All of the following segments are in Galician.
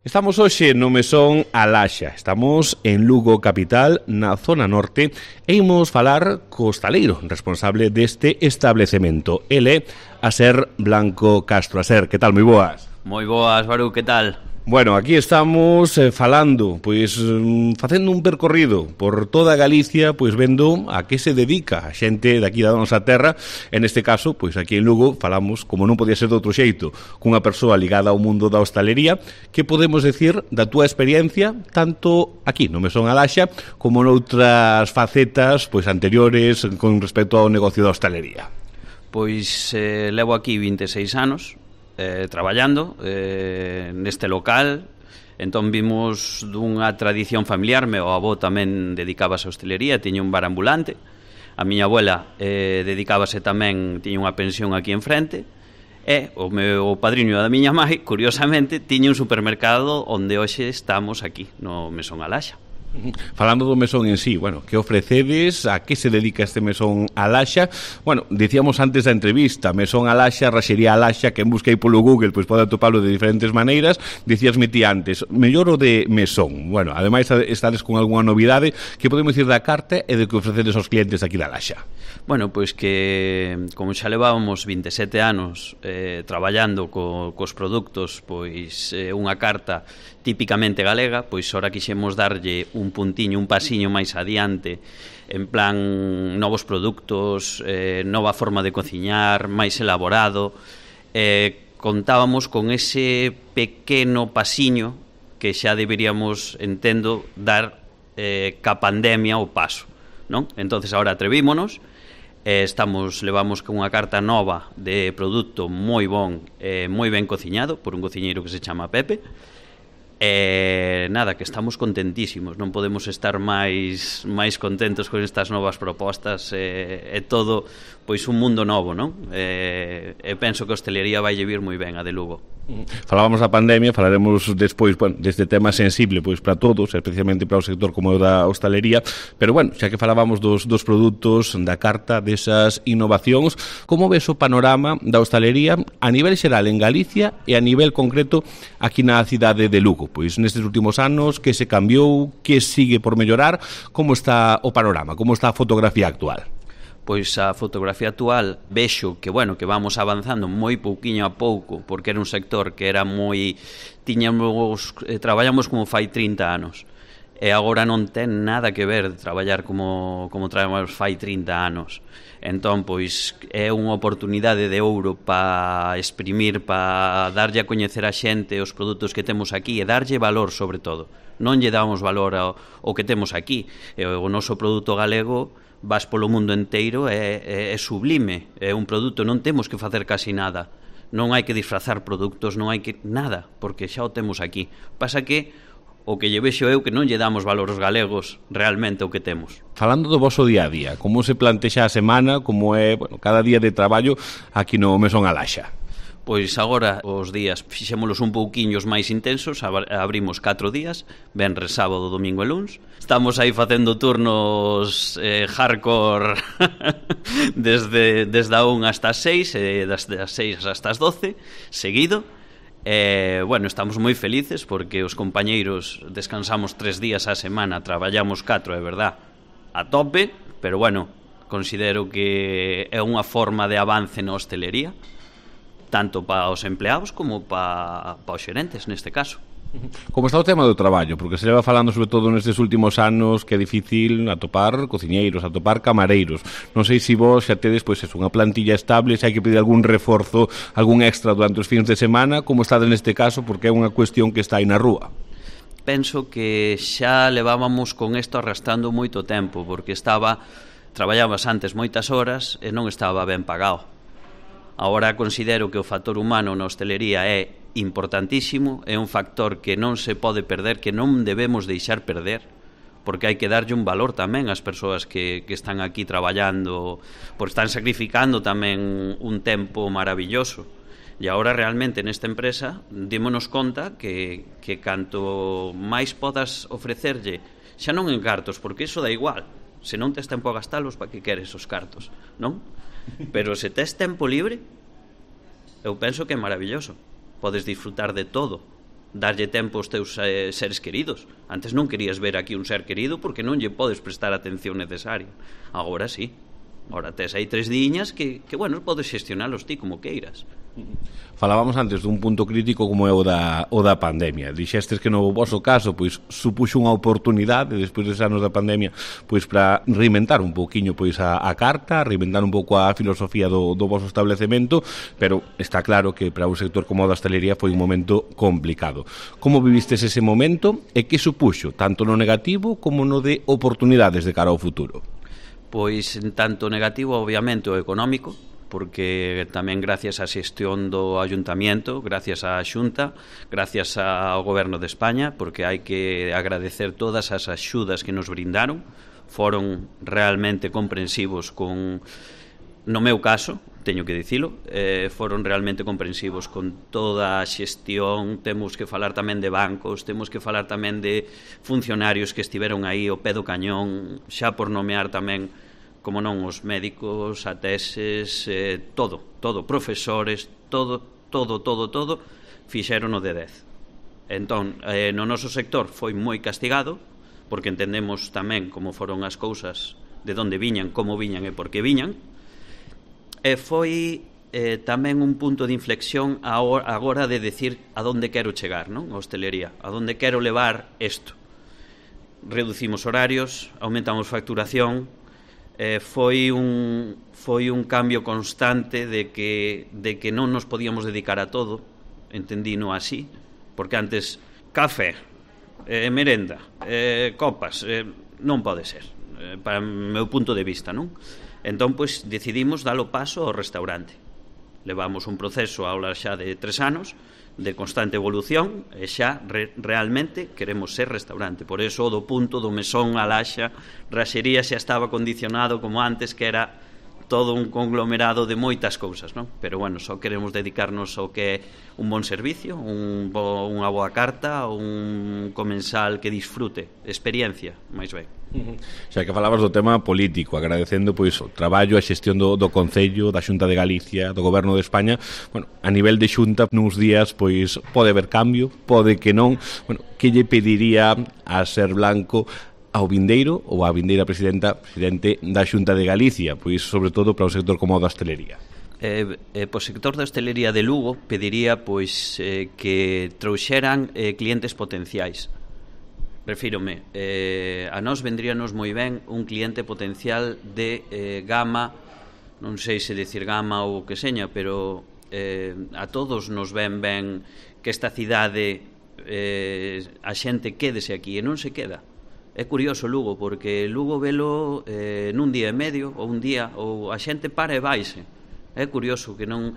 Estamos hoxe no Mesón Alaxa, estamos en Lugo capital, na zona norte, e imos falar co hostaleiro responsable deste establecemento. Ele, Aser Blanco Castro. Aser, que tal? Moi boas. Moi boas, Baru, que tal? Bueno, aquí estamos falando, pois facendo un percorrido por toda Galicia, pois vendo a que se dedica a xente daqui da nosa terra. En este caso, pois aquí en Lugo falamos, como non podía ser de outro xeito, cunha persoa ligada ao mundo da hostalería. Que podemos decir da túa experiencia tanto aquí no Mesón Alaxa como noutras facetas pois anteriores con respecto ao negocio da hostalería? Pois levo aquí 26 anos traballando neste local. Entón vimos dunha tradición familiar. Meu avó tamén dedicábase á hostelería, tiña un bar ambulante. A miña abuela dedicábase tamén, tiña unha pensión aquí enfrente. E o meu padriño da miña mãe, curiosamente, tiña un supermercado onde hoxe estamos aquí, no Mesón Alaxa. Falando do mesón en sí, bueno, que ofrecedes, a que se dedica este Mesón Alaxa? Bueno, dicíamos antes da entrevista, Mesón Alaxa, Raxería Alaxa, que en busquei polo Google, pois pode atopalo de diferentes maneiras. Dicíasme ti antes, mellor o de mesón. Bueno, ademais estades con algunha novidade, que podemos dicir da carta e de que ofrecedes aos clientes aquí da Alaxa? Bueno, pois que, como xa levábamos 27 anos traballando cos produtos, pois unha carta típicamente galega, pois ora quixemos darlle un puntiño, un pasiño máis adiante, en plan novos produtos, nova forma de cociñar, máis elaborado. Contábamos con ese pequeno pasiño que xa deberíamos, entendo, dar ca pandemia o paso, non? Entonces agora atrevímonos, levamos con unha carta nova de produto moi bon, moi ben cociñado por un cociñeiro que se chama Pepe. Nada, que estamos contentísimos, non podemos estar máis contentos con estas novas propostas. É todo pois un mundo novo, non? Penso que a hostelería vai vir moi ben a de Lugo. Falábamos da pandemia, falaremos despois, bueno, deste tema sensible pois para todos, especialmente para o sector como o da hostalería, pero bueno, xa que falábamos dos produtos, da carta, desas innovacións, como ves o panorama da hostalería a nivel xeral en Galicia e a nivel concreto aquí na cidade de Lugo? Pois nestes últimos anos, que se cambiou, que sigue por mellorar, como está o panorama, como está a fotografía actual? Pois a fotografía actual vexo que, bueno, que vamos avanzando moi pouquiño a pouco, porque era un sector que era moi... traballamos como fai 30 anos, e agora non ten nada que ver de traballar como traballamos fai 30 anos. Entón, pois, é unha oportunidade de ouro para exprimir, para darlle a coñecer a xente os produtos que temos aquí e darlle valor, sobre todo. Non lle damos valor ao que temos aquí. O noso produto galego, vas polo mundo inteiro, é sublime, é un produto, non temos que facer casi nada, non hai que disfrazar produtos, non hai que nada, porque xa o temos aquí. Pasa que o que lle vexo eu que non lle damos valor aos galegos realmente o que temos. Falando do voso día a día, como se plantexa a semana, como é, bueno, cada día de traballo aquí no Mesón Alaxa? Pois agora os días fixémolos un pouquiños máis intensos, abrimos 4 días, venres, sábado, domingo e luns. Estamos aí facendo turnos hardcore desde a 1 hasta as 6, desde as 6 hasta as 12, seguido. Bueno, estamos moi felices porque os compañeiros descansamos 3 días á semana, traballamos 4, é verdad, a tope, pero bueno, considero que é unha forma de avance na hostelería, tanto para os empleados como para os xerentes, neste caso. Como está o tema do traballo? Porque se leva falando sobre todo nestes últimos anos que é difícil atopar cociñeiros, atopar camareiros. Non sei se vos xa tedes pois unha plantilla estable, se hai que pedir algún reforzo, algún extra durante os fins de semana, como está neste caso, porque é unha cuestión que está aí na rúa. Penso que xa levábamos con isto arrastrando moito tempo, porque traballabas antes moitas horas e non estaba ben pagado. Agora considero que o factor humano na hostelería é importantísimo, é un factor que non se pode perder, que non debemos deixar perder, porque hai que darlle un valor tamén ás persoas que están aquí traballando, porque están sacrificando tamén un tempo maravilloso. E agora realmente nesta empresa dímonos conta que canto máis podas ofrecerlle, xa non en cartos, porque iso dá igual, se non tes tempo a gastalos, para que queres os cartos, non? Pero se tes tempo libre, eu penso que é maravilloso. Podes disfrutar de todo. darlle tempo aos teus seres queridos. Antes non querías ver aquí un ser querido porque non lle podes prestar a atención necesaria. Agora sí. Agora tes aí 3 diñas que bueno, podes xestionalos ti como queiras. Falábamos antes dun punto crítico como é o da pandemia. Dixestes que no voso caso pois supuxo unha oportunidade despois dos anos da pandemia pois para reinventar un pouquiño pois a carta, reinventar un pouco a filosofía do voso establecemento, pero está claro que para un sector como o da hostalería foi un momento complicado. Como vivistes ese momento e que supuxo tanto no negativo como no de oportunidades de cara ao futuro? Pois en tanto negativo obviamente o económico, porque tamén gracias á xestión do Ayuntamiento, gracias á Xunta, gracias ao Goberno de España, porque hai que agradecer todas as axudas que nos brindaron, foron realmente comprensivos con, no meu caso, teño que dicilo, foron realmente comprensivos con toda a xestión. Temos que falar tamén de bancos, temos que falar tamén de funcionarios que estiveron aí ao pé do cañón, xa por nomear tamén, como non, os médicos, ateses, todo, profesores, todo, fixeron o de 10. Entón, no noso sector foi moi castigado, porque entendemos tamén como foron as cousas, de onde viñan, como viñan e por que viñan, e foi tamén un punto de inflexión agora de decir a onde quero chegar, non? A hostelería, a onde quero levar isto. Reducimos horarios, aumentamos facturación, foi un cambio constante de que non nos podíamos dedicar a todo, entendino así, porque antes café, merenda, copas, non pode ser, para o meu punto de vista, non? Entón, pois, decidimos dar o paso ao restaurante. Levamos un proceso ahora xa de 3 anos de constante evolución e xa realmente queremos ser restaurante. Por eso o do punto do mesón a laxa, raxería xa estaba condicionado como antes, que era todo un conglomerado de moitas cousas, non? Pero bueno, só queremos dedicarnos ao que é un bon servicio, unha boa carta, un comensal que disfrute, experiencia, máis ben. Xa que falabas do tema político, agradecendo pois o traballo, a xestión do Concello, da Xunta de Galicia, do Goberno de España. Bueno, a nivel de Xunta, nuns días pois pode haber cambio, pode que non. Bueno, que lle pediría a Ser Blanco ao vindeiro ou a vindeira presidente da Xunta de Galicia, pois sobre todo para o sector como o da hostelería? Po sector da hostelería de Lugo pediría pois que trouxeran clientes potenciais. Refírome, a nós vendríanos moi ben un cliente potencial de gama, non sei se decir gama ou que seña, pero a todos nos ven ben que esta cidade a xente quédese aquí e non se queda. É curioso Lugo, porque Lugo velo nun día e medio ou un día, ou a xente para e vaise. É curioso que non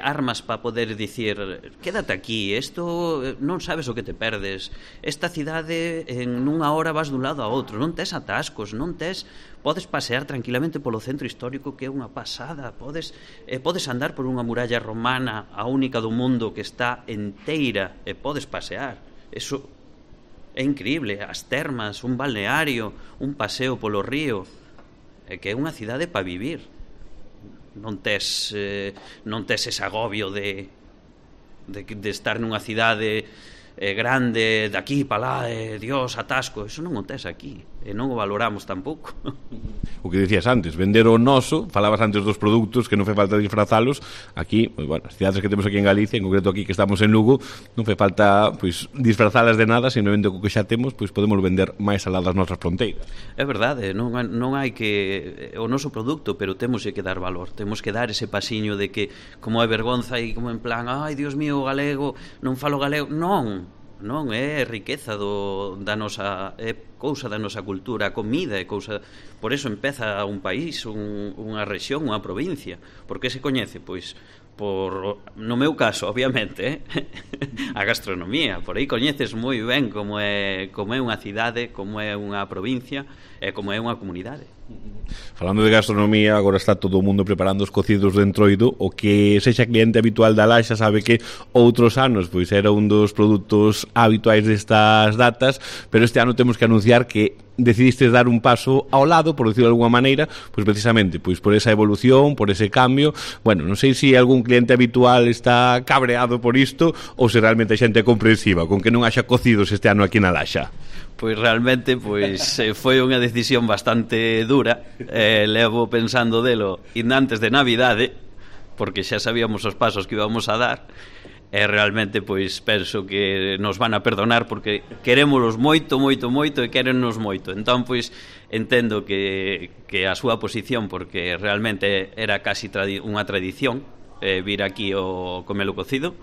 armas para poder dicir quédate aquí, isto non sabes o que te perdes, esta cidade en nunha hora vas dun lado a outro, non tes atascos, podes pasear tranquilamente polo centro histórico, que é unha pasada, podes andar por unha muralla romana, a única do mundo que está enteira, e podes pasear. Eso é increíble, as termas, un balneario, un paseo polo río, que é unha cidade para vivir. Non tes ese agobio de estar nunha cidade grande, de aquí para lá, Dios, atasco. Eso non o tes aquí, e non o valoramos tampouco. O que dicías antes, vender o noso, falabas antes dos produtos, que non fai falta disfrazalos. Aquí, bueno, as cidades que temos aquí en Galicia, en concreto aquí que estamos en Lugo, non fai falta pois disfrazalas de nada, simplemente co que xa temos, pois podemos vender máis alá das nosas fronteiras. É verdade, non hai que o noso produto, pero temos que dar valor, temos que dar ese pasiño de que como é vergonza e como en plan, ai, Dios mío, o galego, non falo galego. Non, é riqueza da nosa, é cousa da nosa cultura, a comida é cousa. Por eso empeza un país, unha rexión, unha provincia. Por que se coñece? Pois no meu caso, obviamente, a gastronomía. Por aí coñeces moi ben como é unha cidade, como é unha provincia e como é unha comunidade. Falando de gastronomía, agora está todo o mundo preparando os cocidos de entroido. O que sexa cliente habitual da Laxa sabe que outros anos pois era un dos produtos habituais destas datas, pero este ano temos que anunciar que decidiste dar un paso ao lado, por decirlo de alguma maneira, pois precisamente pois por esa evolución, por ese cambio. Bueno, non sei se algún cliente habitual está cabreado por isto ou se realmente a xente é comprensiva con que non haxa cocidos este ano aquí na Laxa. Pois realmente foi unha decisión bastante dura. Levo pensando delo antes de Navidade, porque xa sabíamos os pasos que íbamos a dar. E realmente pois penso que nos van a perdonar porque querémolos moito, moito, moito e quérennos moito. Entón pois entendo que a súa posición, porque realmente era casi unha tradición vir aquí o comelo cocido,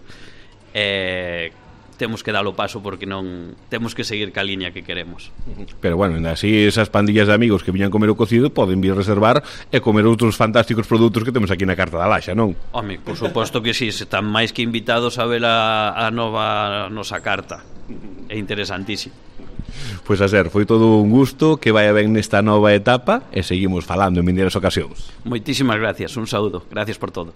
temos que dar o paso porque non temos que seguir ca liña que queremos. Pero bueno, así esas pandillas de amigos que viñan comer o cocido poden vir reservar e comer outros fantásticos produtos que temos aquí na carta da Laxa, non? Home, por suposto que sí, están máis que invitados a ver a nosa carta. É interesantísimo. Pois a ser, foi todo un gusto, que vaya ben nesta nova etapa e seguimos falando en vindeiras ocasións. Moitísimas gracias, un saúdo, gracias por todo.